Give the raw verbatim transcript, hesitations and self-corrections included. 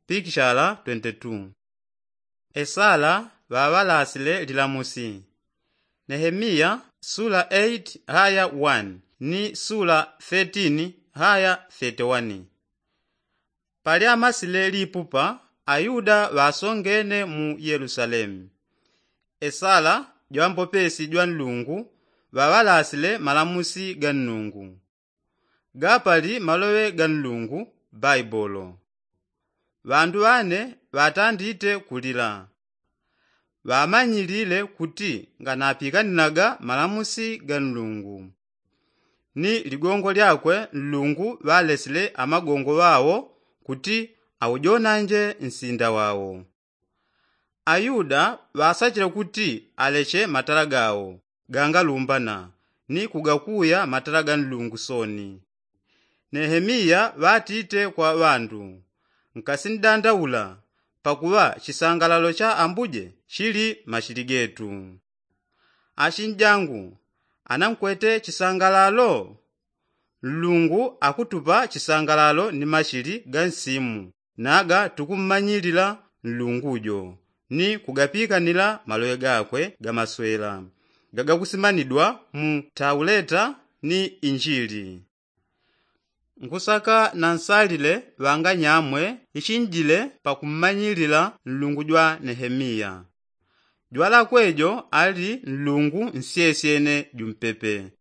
pikishala twenty-two. Esala ŵaŵalasile lilamusi. Nehemiya sula eight haya one ni sula thirteen haya thirty-one. Palyamasile lipupa, ayuda ŵasongene mu yelusalemu. Esala jwambopesi jwa nlungu ŵaŵalasile malamusi ga nnungu. Gapali maloŵe ga nlungu baibolo. Ŵandu ŵane ŵatandite kulila. Ŵamanyilile kuti nganapikaninaga malamusi ga nlungu. Ni ligongo lyakwe nlungu ŵalesile amagongo ŵao kuti aujonanje nsinda wao. Ayuda ŵasachile kuti aleche matala gao gangalumbana ni kugakuya matala ga nlungu soni. Nehemiya ŵatite kwa ŵandu, nkasindandaula pakuŵa chisangalalo cha ambuje chili machili getu. Achinjangu, anankwete chisangalalo? Nlungu akutupa chisangalalo ni machili ga nsimu naga tukummanyilila nlungu jo ni kugapikanila maloŵe gakwe ga maswela gagakusimanidwa mu tauleta ni injili. Nkusaka na nsalile ŵanganyamwe ichinjile pakummanyilila nlungu jwa nehemiya. Jwalakwe jo ali nlungu nsyesyene jumpepe.